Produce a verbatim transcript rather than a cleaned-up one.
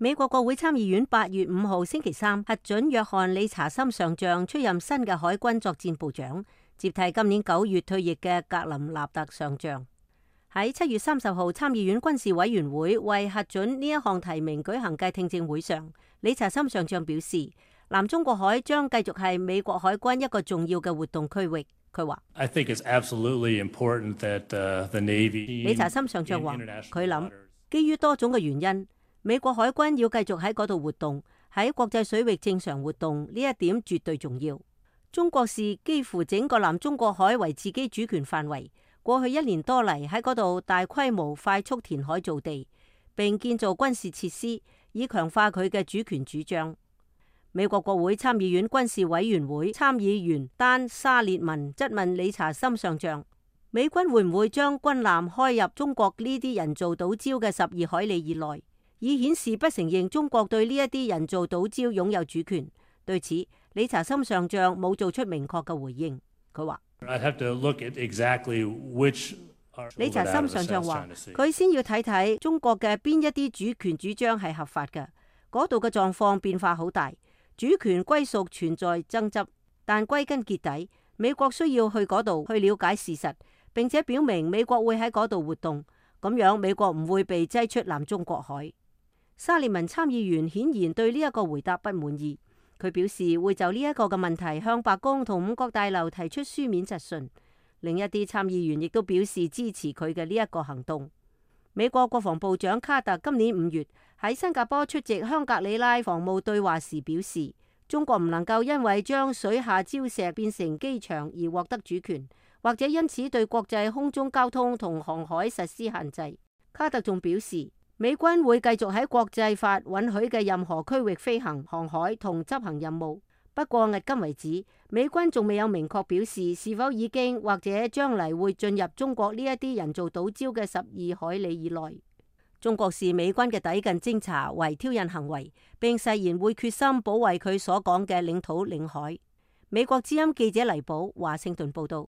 美國國會參議院八月五號星期三核准約翰理查森上將出任新嘅海軍作戰部長，接替今年九月退役嘅格林納特上將。喺七月三十號參議院軍事委員會為核准呢一項提名舉行嘅聽證會上，理查森上將表示，南中國海將繼續係美國海軍一個重要嘅活動區域。佢話：理查森上將話，佢諗基於多種嘅原因，美國海軍要繼續喺嗰度活動，喺國際水域正常活動，呢一點絕對重要。中國視幾乎整個南中國海為自己主權範圍，過去一年多嚟喺嗰度大規模快速填海造地，並建造軍事設施，以強化佢嘅主權主張。美國國會參議院軍事委員會參議員丹沙列文質問理查森上將：美軍會唔會將軍艦開入中國呢啲人造島礁嘅十二海里以內，以顯示不承認中國對呢一啲人造島礁擁有主權？對此，理查森上將冇做出明確嘅回應。佢話：理查森上將話，佢先要睇睇中國嘅邊一啲主權主張係合法嘅。嗰度嘅狀況變化好大，主權歸屬存在爭執，但歸根結底，美國需要去嗰度去了解事實，並且表明美國會喺嗰度活動，咁樣美國唔會被擠出南中國海。沙利文參議員顯然對呢一個回答不滿意，佢表示會就呢一個嘅問題向白宮同五角大樓提出書面質詢。另一啲參議員亦都表示支持佢嘅呢一個行動。美國國防部長卡特今年五月喺新加坡出席香格里拉防務對話時表示，中國唔能夠因為將水下礁石變成機場而獲得主權，或者因此對國際空中交通同航海實施限制。卡特仲表示，美軍會繼續喺國際法允許嘅任何區域飛行、航海同執行任務。不過，迄今為止，美軍仲未有明確表示是否已經或者將嚟會進入中國呢一啲人造島礁嘅十二海里以內。中國視美軍嘅抵近偵察為挑釁行為，並誓言會決心保衛佢所講嘅領土領海。美國之音記者黎寶華盛頓報道。